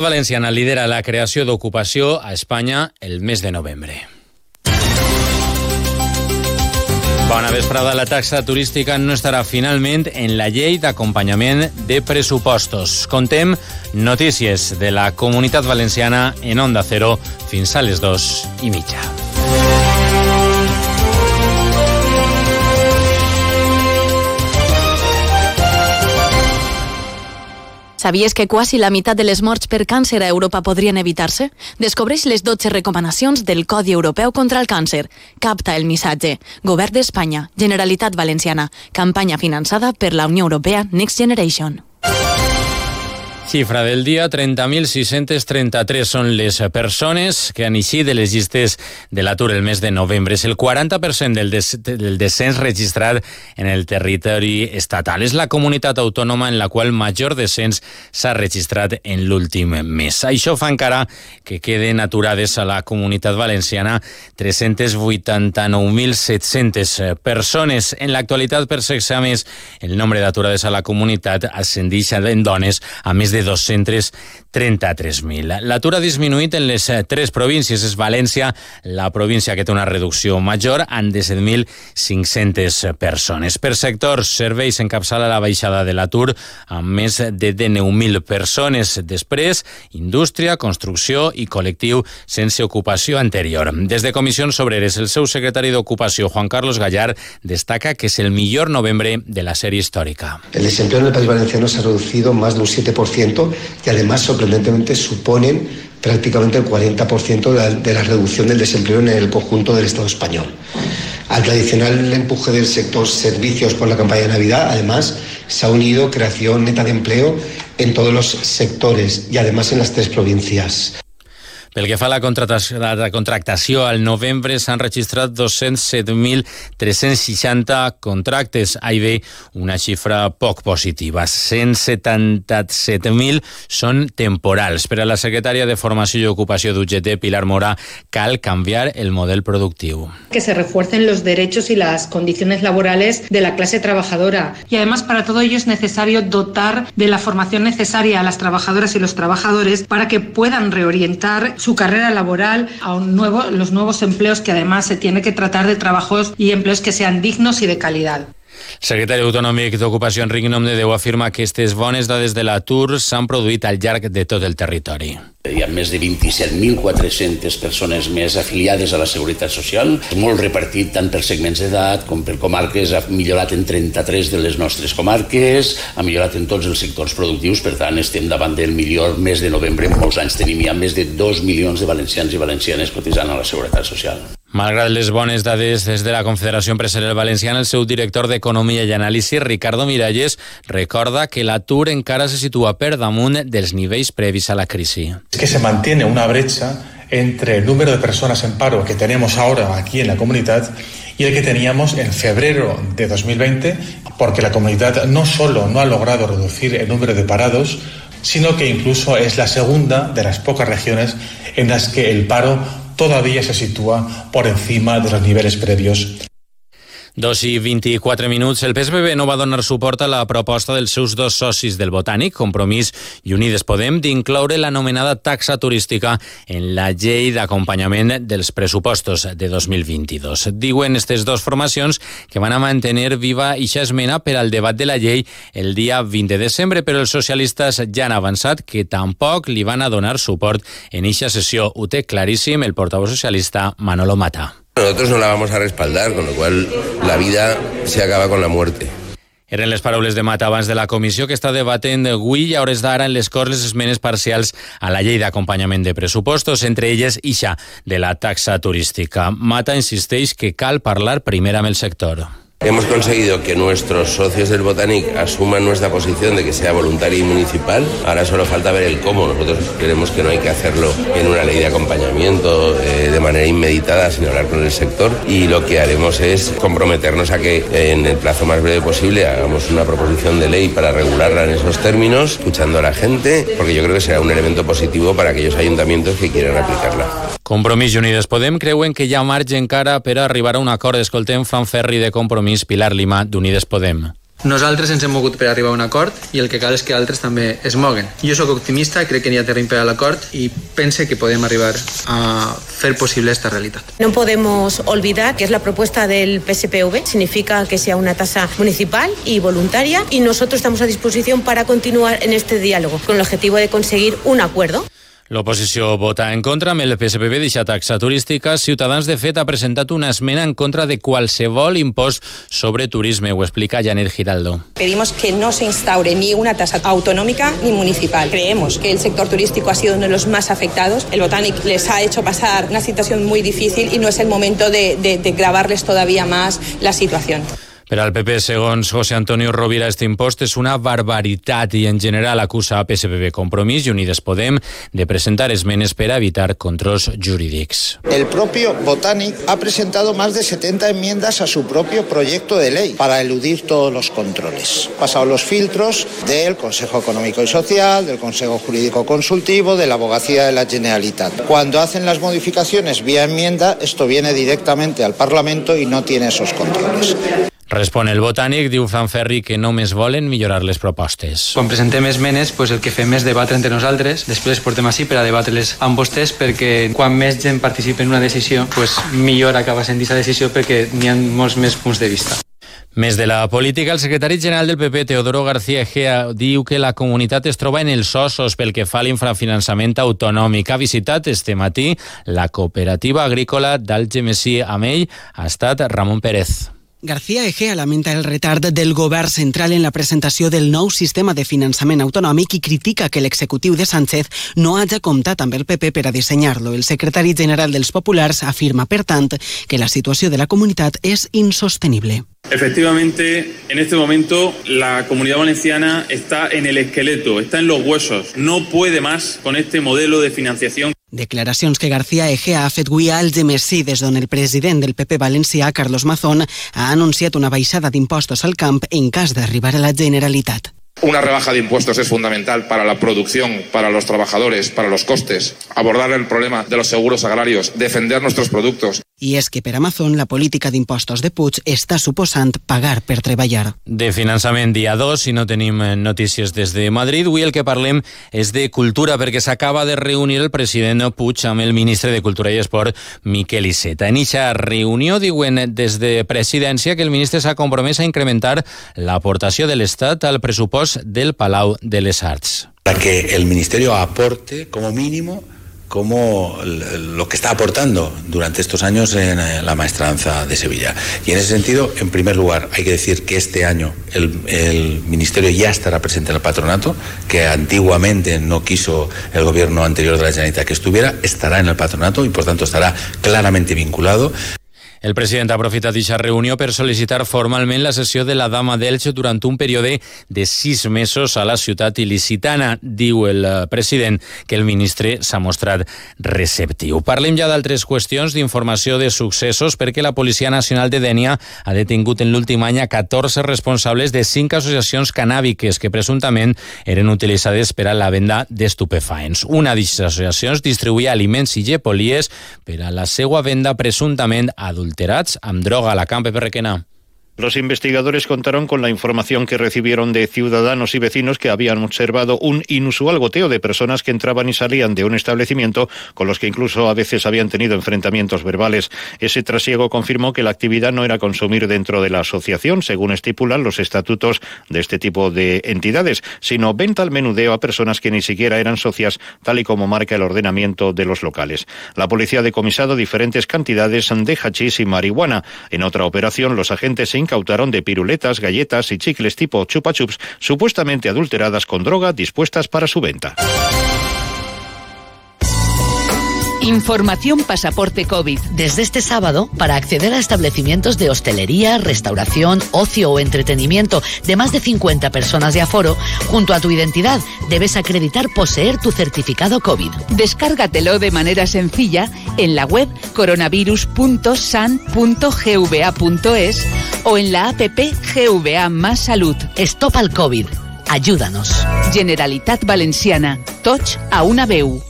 Valenciana lidera la creació d'ocupació a Espanya el mes de novembre. Bona vesprada. La taxa turística no estarà finalment en la llei d'acompanyament de pressupostos. Contem notícies de la Comunitat Valenciana en Onda Cero fins a les 2:30. Sabies que quasi la meitat de les morts per càncer a Europa podrien evitar-se? Descobreix les 12 recomanacions del Codi Europeu contra el Càncer. Capta el missatge. Govern d'Espanya, Generalitat Valenciana, campanya finançada per la Unió Europea Next Generation. Xifra del dia, 30.633 són les persones que han eixit de les llistes de l'atur el mes de novembre. És el 40% del descens registrat en el territori estatal. És la comunitat autònoma en la qual major descens s'ha registrat en l'últim mes. Això fa encara que queden aturades a la Comunitat Valenciana 389.700 persones. En l'actualitat, per sexe, a més, el nombre d'aturades a la comunitat ascendeix en dones a més de 233.000. L'atur ha disminuït en les tres províncies. És València la província que té una reducció major, amb 17.500 persones. Per sectors, serveis encapçala la baixada de l'atur amb més de 19.000 persones. Després, indústria, construcció i col·lectiu sense ocupació anterior. Des de Comissions Obreres, el seu secretari d'Ocupació, Juan Carlos Gallar, destaca que és el millor novembre de la sèrie històrica. El desempleo en el país valenciano se ha reducido más de un 7%, y además sorprendentemente suponen prácticamente el 40% de la reducción del desempleo en el conjunto del Estado español. Al tradicional empuje del sector servicios por la campaña de Navidad, además, se ha unido creación neta de empleo en todos los sectores y además en las tres provincias. Pel que fa a la contractació, al novembre s'han registrat 207.360 contractes. Ahí ve una xifra poc positiva. 177.000 són temporals. Per a la secretària de Formació i Ocupació d'UGT, Pilar Mora, cal canviar el model productiu. Que se refuercen los derechos y las condiciones laborales de la clase trabajadora. Y además, para todo ello es necesario dotar de la formación necesaria a las trabajadoras y los trabajadores para que puedan reorientar su carrera laboral a los nuevos empleos, que además se tiene que tratar de trabajos y empleos que sean dignos y de calidad. El secretari autonòmic d'Ocupació, Enric Nomdedeu, afirma que aquestes bones dades de l'atur s'han produït al llarg de tot el territori. Hi ha més de 27.400 persones més afiliades a la Seguretat Social, molt repartit tant per segments d'edat com per comarques. Ha millorat en 33 de les nostres comarques, ha millorat en tots els sectors productius. Per tant, estem davant del millor mes de novembre en molts anys. Tenim ja més de 2 milions de valencians i valencianes cotitzant a la Seguretat Social. Malgrat les bones dades des de la Confederació Empresarial Valenciana, el seu director d'Economia i Anàlisi, Ricardo Miralles, recorda que l'atur encara se situa per damunt dels nivells previs a la crisi. Es que se mantiene una brecha entre el número de personas en paro que tenemos ahora aquí en la comunidad y el que teníamos en febrero de 2020, porque la comunidad no solo no ha logrado reducir el número de parados, sino que incluso es la segunda de las pocas regiones en las que el paro todavía se sitúa por encima de los niveles previos. 2:24. El PSPB no va donar suport a la proposta dels seus dos socis del Botànic, Compromís i Unides Podem, d'incloure l'anomenada taxa turística en la llei d'acompanyament dels pressupostos de 2022. Diuen aquestes dues formacions que van a mantenir viva eixa esmena per al debat de la llei el dia 20 de desembre, però els socialistes ja han avançat que tampoc li van a donar suport en eixa sessió. Ho té claríssim el portaveu socialista Manolo Mata. Nosotros no la vamos a respaldar, con lo cual la vida se acaba con la muerte. Eren les paraules de Mata abans de la comissió que està debatent avui i a hores d'ara en les Corts les esmenes parcials a la llei d'acompanyament de pressupostos, entre elles ixa de la taxa turística. Mata insisteix que cal parlar primer amb el sector. Hemos conseguido que nuestros socios del Botànic asuman nuestra posición de que sea voluntaria y municipal. Ahora solo falta ver el cómo. Nosotros creemos que no hay que hacerlo en una ley de acompañamiento de manera inmediata, sino hablar con el sector. Y lo que haremos es comprometernos a que en el plazo más breve posible hagamos una proposición de ley para regularla en esos términos, escuchando a la gente, porque yo creo que será un elemento positivo para aquellos ayuntamientos que quieran aplicarla. Compromís i Unides Podem creuen que hi ha marge encara per arribar a un acord. Escoltem Fran Ferri de Compromís, Pilar Lima d'Unides Podem. Nosaltres ens hem mogut per arribar a un acord i el que cal és que altres també es moguen. Jo sóc optimista, crec que n'hi ha terreny per a l'acord i pense que podem arribar a fer possible esta realitat. No podemos olvidar que es la propuesta del PSPV, significa que sea una tasa municipal y voluntaria y nosotros estamos a disposición para continuar en este diálogo con el objetivo de conseguir un acuerdo. L'oposició vota en contra amb el PSPV deixa taxa turística. Ciutadans, de fet, ha presentat una esmena en contra de qualsevol impost sobre turisme. Ho explica Janet Giraldo. Pedimos que no se instaure ni una tasa autonómica ni municipal. Creemos que el sector turístico ha sido uno de los más afectados. El Botanic les ha hecho pasar una situación muy difícil y no es el momento de gravarles todavía más la situación. Per al PP, segons José Antonio Rovira, este impost és una barbaritat i en general acusa a PSPV, Compromís i Unides Podem de presentar esmenes per a evitar controls jurídics. El propio Botanic ha presentado más de 70 enmiendas a su propio proyecto de ley para eludir todos los controles. Pasado los filtros del Consejo Económico y Social, del Consejo Jurídico Consultivo, de la Abogacía de la Generalitat. Cuando hacen las modificaciones vía enmienda, esto viene directamente al Parlamento y no tiene esos controles. Respon el Botànic, diu Fran Ferri que només volen millorar les propostes. Quan presentem esmenes, el que fem és debatre entre nosaltres, després les portem així per a debatre-les amb vostès, perquè quan més gent participa en una decisió, millor acaba sent aquesta decisió perquè n'hi ha molts més punts de vista. Més de la política, el secretari general del PP, Teodoro García Egea, diu que la comunitat es troba en els ossos pel que fa a l'infrafinançament autonòmic. Ha visitat este matí la cooperativa agrícola d'Algemesí. Amb ell ha estat Ramon Pérez. García Egea lamenta el retard del govern central en la presentació del nou sistema de finançament autonòmic i critica que l'executiu de Sánchez no hagi comptat amb el PP per a dissenyar-lo. El secretari general dels Populars afirma, per tant, que la situació de la comunitat és insostenible. Efectivamente, en este momento la Comunidad Valenciana está en el esqueleto, está en los huesos. No puede más con este modelo de financiación. Declaracions que García Egea ha fet avui a Algemesí, des d'on el president del PP valencià, Carlos Mazón, ha anunciat una baixada d'impostos al camp en cas d'arribar a la Generalitat. Una rebaja de impuestos es fundamental para la producción, para los trabajadores, para los costes, abordar el problema de los seguros agrarios, defender nuestros productos. I és que per a Mazón la política d'impostos de Puig està suposant pagar per treballar. De finançament dia 2, si no tenim notícies des de Madrid, avui el que parlem és de cultura, perquè s'acaba de reunir el president Puig amb el ministre de Cultura i Esport, Miquel Iceta. En eixa reunió diuen des de presidència que el ministre s'ha compromès a incrementar l'aportació de l'Estat al pressupost del Palau de les Arts. Para que el Ministerio aporte como mínimo como lo que está aportando durante estos años en la maestranza de Sevilla. Y en ese sentido, en primer lugar, hay que decir que este año el Ministerio ya estará presente en el patronato, que antiguamente no quiso el gobierno anterior de la Generalitat que estuviera, estará en el patronato y por tanto estará claramente vinculado. El president ha aprofitat aquesta reunió per sol·licitar formalment la cessió de la Dama d'Elx durant un període de 6 mesos a la ciutat il·licitana. Diu el president que el ministre s'ha mostrat receptiu. Parlem ja d'altres qüestions d'informació de successos, perquè la Policia Nacional de Dénia ha detingut en l'últim any a 14 responsables de 5 associacions canàbiques que presumptament eren utilitzades per a la venda d'estupefaents. Una d'aquestes associacions distribuïa aliments i llepolies per a la seva venda presumptament adulterats amb droga. A la Camp, Pepe Requena. Los investigadores contaron con la información que recibieron de ciudadanos y vecinos que habían observado un inusual goteo de personas que entraban y salían de un establecimiento con los que incluso a veces habían tenido enfrentamientos verbales. Ese trasiego confirmó que la actividad no era consumir dentro de la asociación, según estipulan los estatutos de este tipo de entidades, sino venta al menudeo a personas que ni siquiera eran socias, tal y como marca el ordenamiento de los locales. La policía ha decomisado diferentes cantidades de hachís y marihuana. En otra operación, los agentes se incautaron de piruletas, galletas y chicles tipo chupa chups supuestamente adulteradas con droga dispuestas para su venta. Información Pasaporte COVID. Desde este sábado, para acceder a establecimientos de hostelería, restauración, ocio o entretenimiento de más de 50 personas de aforo, junto a tu identidad debes acreditar poseer tu certificado COVID. Descárgatelo de manera sencilla en la web coronavirus.san.gva.es o en la app GVA Más Salud. Stop al COVID. Ayúdanos. Generalitat Valenciana. Tots a una veu.